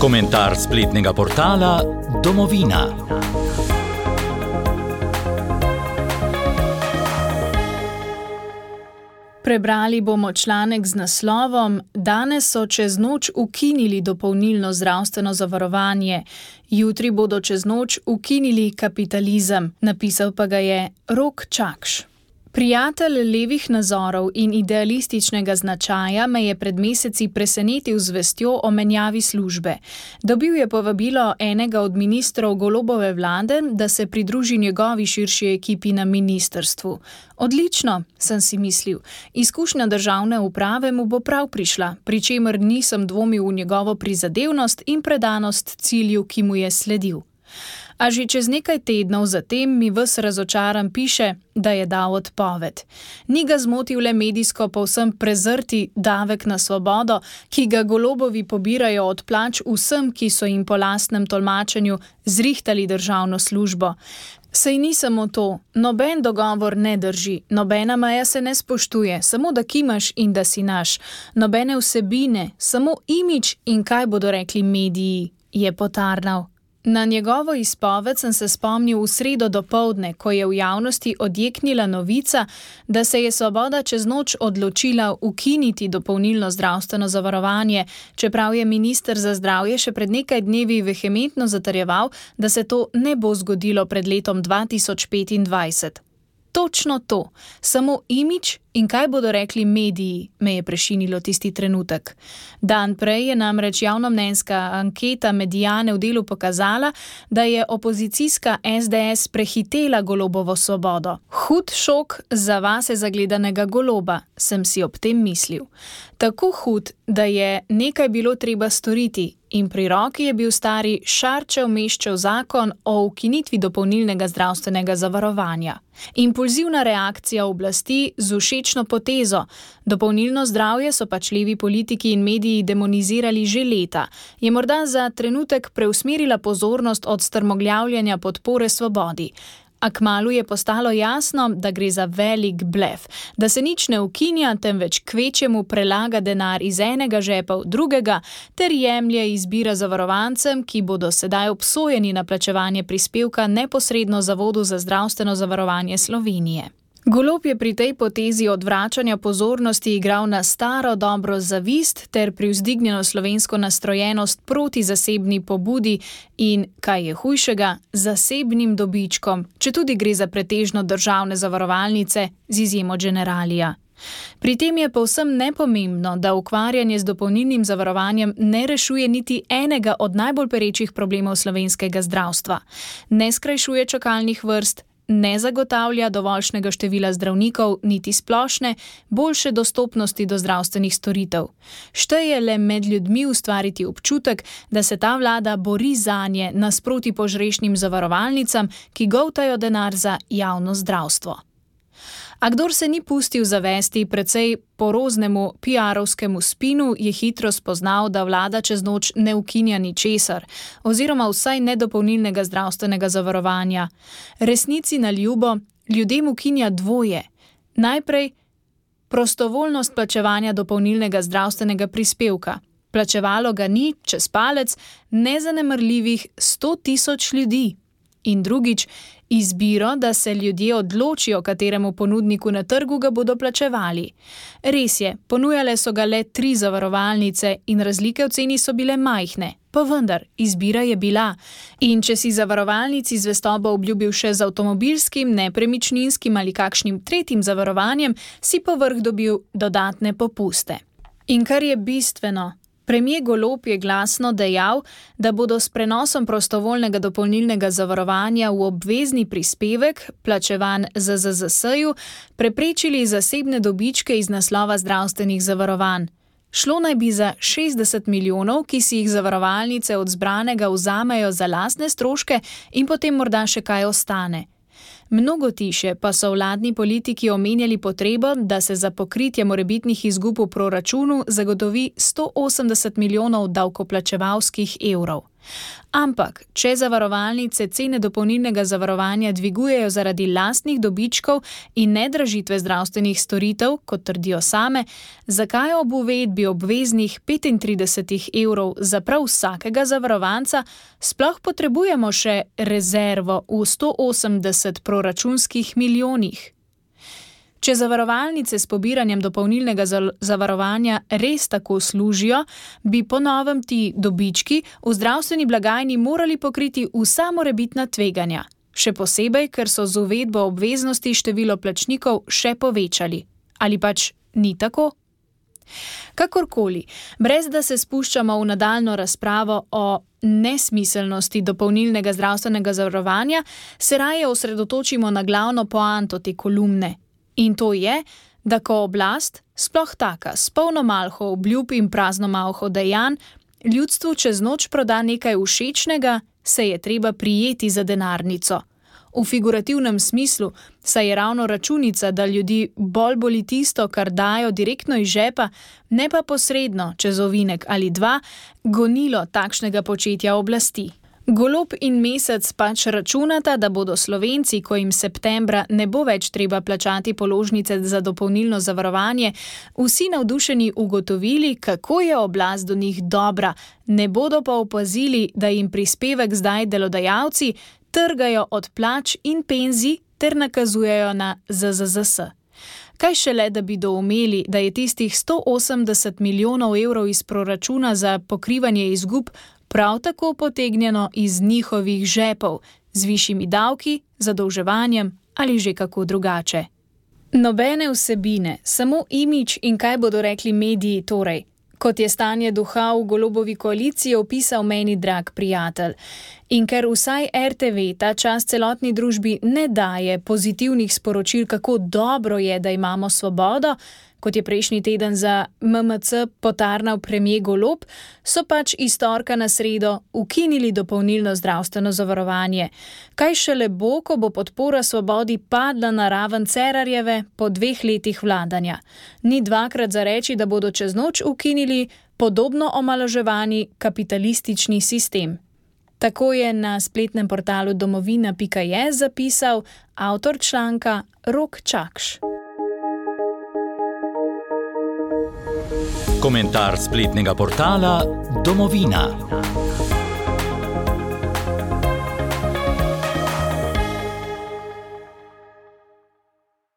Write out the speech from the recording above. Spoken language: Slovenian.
Komentar spletnega portala Domovina. Prebrali bomo članek z naslovom Danes so čez noč ukinili dopolnilno zdravstveno zavarovanje, jutri bodo čez noč ukinili kapitalizem, napisal pa ga je Rok Čakš. Prijatelj levih nazorov in idealističnega značaja me je pred meseci presenetil z vestjo o menjavi službe. Dobil je povabilo enega od ministrov Golobove vlade, da se pridruži njegovi širši ekipi na ministrstvu. Odlično, sem si mislil. Izkušnja državne uprave mu bo prav prišla, pri čemer nisem dvomil v njegovo prizadevnost in predanost cilju, ki mu je sledil. A že čez nekaj tednov zatem mi ves razočaran piše, da je dal odpoved. Ni ga zmotil le medijsko povsem prezrti davek na svobodo, ki ga Golobovi pobirajo od plač vsem, ki so jim po lastnem tolmačenju zrihtali državno službo. Saj ni samo to, noben dogovor ne drži, nobena meja se ne spoštuje, samo da kimaš in da si naš. Nobene vsebine, samo imidž in kaj bodo rekli mediji, je potarnal. Na njegovo izpoved sem se spomnil v sredo dopoldne, ko je v javnosti odjeknila novica, da se je Svoboda čez noč odločila ukiniti dopolnilno zdravstveno zavarovanje, čeprav je minister za zdravje še pred nekaj dnevi vehementno zatrjeval, da se to ne bo zgodilo pred letom 2025. Točno to, samo imidž in kaj bodo rekli mediji, me je prešinilo tisti trenutek. Dan prej je namreč javnomnenjska anketa Mediane v Delu pokazala, da je opozicijska SDS prehitela Golobovo Svobodo. Hud šok za vase zagledanega Goloba, sem si ob tem mislil. Tako hud, da je nekaj bilo treba storiti in pri roki je bil stari Šarčev Meščev zakon o ukinitvi dopolnilnega zdravstvenega zavarovanja. Impulzivna reakcija oblasti z všečno potezo. Dopolnilno zdravje so pač levi politiki in mediji demonizirali že leta. Je morda za trenutek preusmerila pozornost od strmoglavljanja podpore svobodi. A kmalu je postalo jasno, da gre za velik blef, da se nič ne ukinja, temveč kvečjemu prelaga denar iz enega žepa v drugega ter jemlje izbira zavarovancem, ki bodo sedaj obsojeni na plačevanje prispevka neposredno Zavodu za zdravstveno zavarovanje Slovenije. Golob je pri tej potezi odvračanja pozornosti igral na staro dobro zavist ter privzdignjeno slovensko nastrojenost proti zasebni pobudi in, kaj je hujšega, zasebnim dobičkom, četudi gre za pretežno državne zavarovalnice z izjemo Generalija. Pri tem je povsem nepomembno, da ukvarjanje z dopolnilnim zavarovanjem ne rešuje niti enega od najbolj perečih problemov slovenskega zdravstva. Ne skrajšuje čakalnih vrst, ne zagotavlja dovoljšnega števila zdravnikov, niti splošne, boljše dostopnosti do zdravstvenih storitev. Šteje le med ljudmi ustvariti občutek, da se ta vlada bori zanje nasproti požrešnim zavarovalnicam, ki goltajo denar za javno zdravstvo. A kdor se ni pustil zavesti precej poroznemu PR-ovskemu spinu, je hitro spoznal, da vlada čez noč ne ukinja ničesar, oziroma vsaj nedopolnilnega zdravstvenega zavarovanja. Resnici na ljubo, ljudem ukinja dvoje. Najprej prostovoljnost plačevanja dopolnilnega zdravstvenega prispevka. Plačevalo ga ni, čez palec, nezanemrljivih 100.000 ljudi. In drugič, izbiro, da se ljudje odločijo, kateremu ponudniku na trgu ga bodo plačevali. Res je, ponujale so ga le 3 zavarovalnice in razlike v ceni so bile majhne, pa vendar, izbira je bila. In če si zavarovalnici zvestobo obljubil še z avtomobilskim, nepremičninskim ali kakšnim tretjim zavarovanjem, si povrh dobil dodatne popuste. In kar je bistveno, Premier Golob je glasno dejal, da bodo s prenosom prostovoljnega dopolnilnega zavarovanja v obvezni prispevek, plačevan ZZZS-ju, preprečili zasebne dobičke iz naslova zdravstvenih zavarovanj. Šlo naj bi za 60 milijonov, ki si jih zavarovalnice od zbranega vzamejo za lastne stroške in potem morda še kaj ostane. Mnogo tiše pa so vladni politiki omenjali potrebo, da se za pokritje morebitnih izgub v proračunu zagotovi 180 milijonov davkoplačevalskih evrov. Ampak, če zavarovalnice cene dopolnilnega zavarovanja dvigujejo zaradi lastnih dobičkov in nedražitve zdravstvenih storitev, kot trdijo same, zakaj ob uvedbi obveznih 35 € za prav vsakega zavarovanca sploh potrebujemo še rezervo v 180 proračunskih milijonih? Če zavarovalnice s pobiranjem dopolnilnega zavarovanja res tako služijo, bi po novem ti dobički v zdravstveni blagajni morali pokriti vsa morebitna tveganja. Še posebej, ker so z uvedbo obveznosti število plačnikov še povečali. Ali pač ni tako? Kakorkoli, brez da se spuščamo v nadaljnjo razpravo o nesmiselnosti dopolnilnega zdravstvenega zavarovanja, se raje osredotočimo na glavno poanto te kolumne. In to je, da ko oblast, sploh taka, s polno malho obljub in prazno malho dejanj, ljudstvu čez noč proda nekaj všečnega, se je treba prijeti za denarnico. V figurativnem smislu, saj je ravno računica, da ljudi bolj boli tisto, kar dajo direktno iz žepa, ne pa posredno, čez ovinek ali dva, gonilo takšnega početja oblasti. Golob in Mesec pač računata, da bodo Slovenci, ko jim septembra ne bo več treba plačati položnice za dopolnilno zavarovanje, vsi navdušeni ugotovili, kako je oblast do njih dobra, ne bodo pa opazili, da jim prispevek zdaj delodajalci trgajo od plač in penzij ter nakazujejo na ZZZS. Kaj šele, da bi doumeli, da je tistih 180 milijonov € iz proračuna za pokrivanje izgub prav tako potegnjeno iz njihovih žepov, z višjimi davki, zadolževanjem ali že kako drugače. Nobene vsebine, samo imidž in kaj bodo rekli mediji torej. Kot je stanje duha v Golobovi koaliciji opisal meni drag prijatelj. In ker vsaj RTV ta čas celotni družbi ne daje pozitivnih sporočil, kako dobro je, da imamo svobodo, kot je prejšnji teden za MMC potarnal premier Golob, so pač iz torka na sredo ukinili dopolnilno zdravstveno zavarovanje. Kaj šele bo, ko bo podpora svobodi padla na raven Cerarjeve po 2 letih vladanja. Ni dvakrat za reči, da bodo čez noč ukinili podobno omalovaževani kapitalistični sistem. Tako je na spletnem portalu domovina.je zapisal avtor članka Rok Čakš. Komentar spletnega portala Domovina.